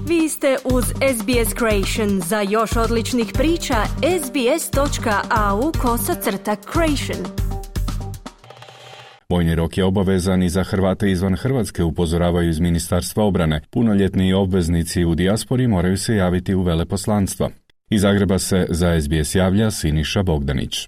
Vi ste uz SBS Creation. Za još odličnih priča, sbs.au/creation. Vojni rok je obavezan i za Hrvate izvan Hrvatske, upozoravaju iz Ministarstva obrane. Punoljetni obveznici u dijaspori moraju se javiti u veleposlanstva. Iz Zagreba se za SBS javlja Siniša Bogdanić.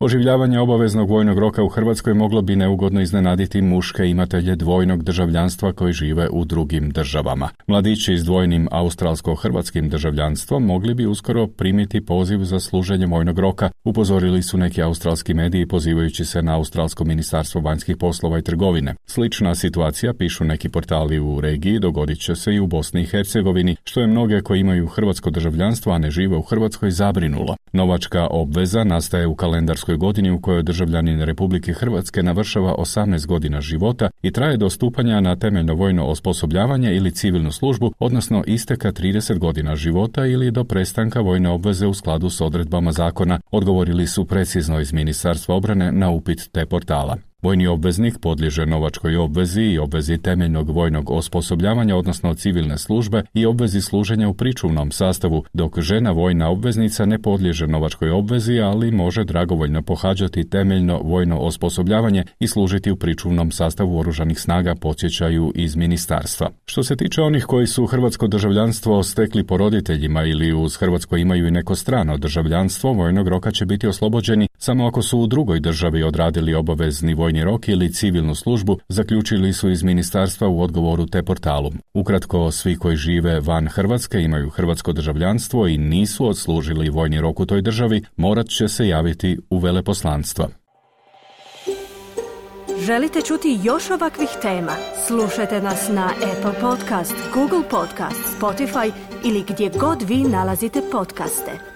Oživljavanje obaveznog vojnog roka u Hrvatskoj moglo bi neugodno iznenaditi muške imatelje dvojnog državljanstva koji žive u drugim državama. Mladići s dvojnim australsko-hrvatskim državljanstvom mogli bi uskoro primiti poziv za služenje vojnog roka, upozorili su neki australski mediji pozivajući se na Australsko ministarstvo vanjskih poslova i trgovine. Slična situacija, pišu neki portali u regiji, dogodit će se i u Bosni i Hercegovini, što je mnoge koji imaju hrvatsko državljanstvo, a ne žive u Hrvatskoj, zabrinulo. Novačka obveza nastaje u kalendarskoj godini u kojoj državljanin Republike Hrvatske navršava 18 godina života i traje do stupanja na temeljno vojno osposobljavanje ili civilnu službu, odnosno isteka 30 godina života ili do prestanka vojne obveze u skladu s odredbama zakona, odgovorili su precizno iz Ministarstva obrane na upit te portala. Vojni obveznik podliježe novačkoj obvezi i obvezi temeljnog vojnog osposobljavanja, odnosno civilne službe, i obvezi služenja u pričuvnom sastavu, dok žena vojna obveznica ne podliježe novačkoj obvezi, ali može dragovoljno pohađati temeljno vojno osposobljavanje i služiti u pričuvnom sastavu oružanih snaga, podsjećaju iz ministarstva. Što se tiče onih koji su hrvatsko državljanstvo stekli po roditeljima ili uz hrvatsko imaju i neko strano državljanstvo, vojnog roka će biti oslobođeni samo ako su u drugoj državi odradili obavezni vojni rok ili civilnu službu, zaključili su iz ministarstva u odgovoru te portalu. Ukratko, svi koji žive van Hrvatske, imaju hrvatsko državljanstvo i nisu odslužili vojni rok u toj državi, morat će se javiti u veleposlanstva. Želite čuti još ovakvih tema? Slušajte nas na Apple Podcast, Google Podcast, Spotify ili gdje god vi nalazite podcaste.